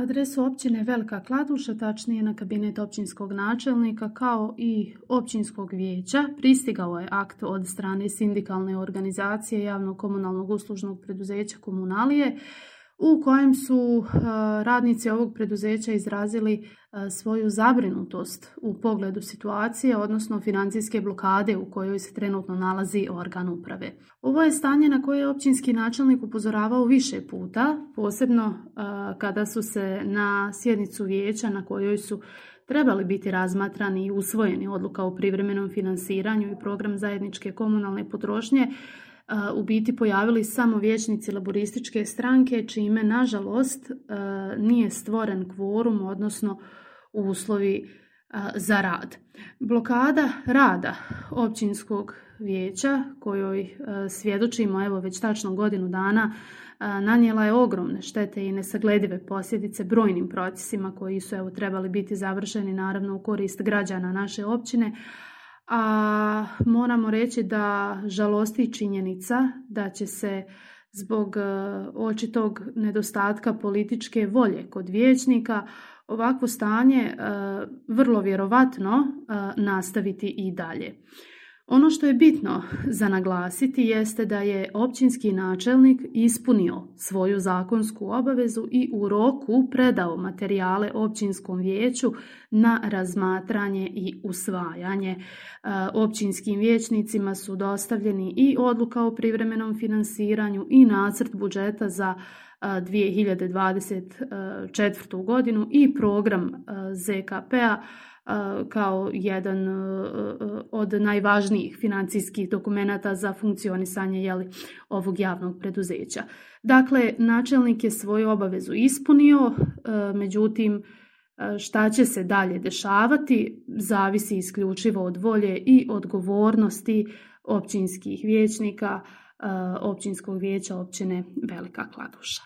adresu općine Velika Kladuša, tačnije na kabinet općinskog načelnika kao i općinskog vijeća, pristigao je akt od strane sindikalne organizacije javnog komunalnog uslužnog preduzeća Komunalije u kojem su radnici ovog preduzeća izrazili svoju zabrinutost u pogledu situacije, odnosno financijske blokade u kojoj se trenutno nalazi organ uprave. Ovo je stanje na koje je općinski načelnik upozoravao više puta, posebno kada su se na sjednicu vijeća na kojoj su trebali biti razmatrani i usvojeni odluka o privremenom finansiranju i program zajedničke komunalne potrošnje, u biti pojavili samo vijećnici laborističke stranke, čime nažalost nije stvoren kvorum, odnosno uslovi za rad. Blokada rada općinskog vijeća, kojoj svjedočimo evo već tačno godinu dana, nanijela je ogromne štete i nesagledive posljedice brojnim procesima koji su trebali biti završeni naravno u korist građana naše općine, a moramo reći da žalosti činjenica da će se zbog očitog nedostatka političke volje kod vijećnika ovakvo stanje vrlo vjerovatno nastaviti i dalje. Ono što je bitno za naglasiti jeste da je općinski načelnik ispunio svoju zakonsku obavezu i u roku predao materijale općinskom vijeću na razmatranje i usvajanje. Općinskim vijećnicima su dostavljeni i odluka o privremenom finansiranju i nacrt budžeta za 2024. godinu i program ZKP-a kao jedan od najvažnijih financijskih dokumenata za funkcionisanje ovog javnog preduzeća. Dakle, načelnik je svoju obavezu ispunio, međutim, šta će se dalje dešavati zavisi isključivo od volje i odgovornosti općinskih vijećnika, općinskog vijeća općine Velika Kladuša.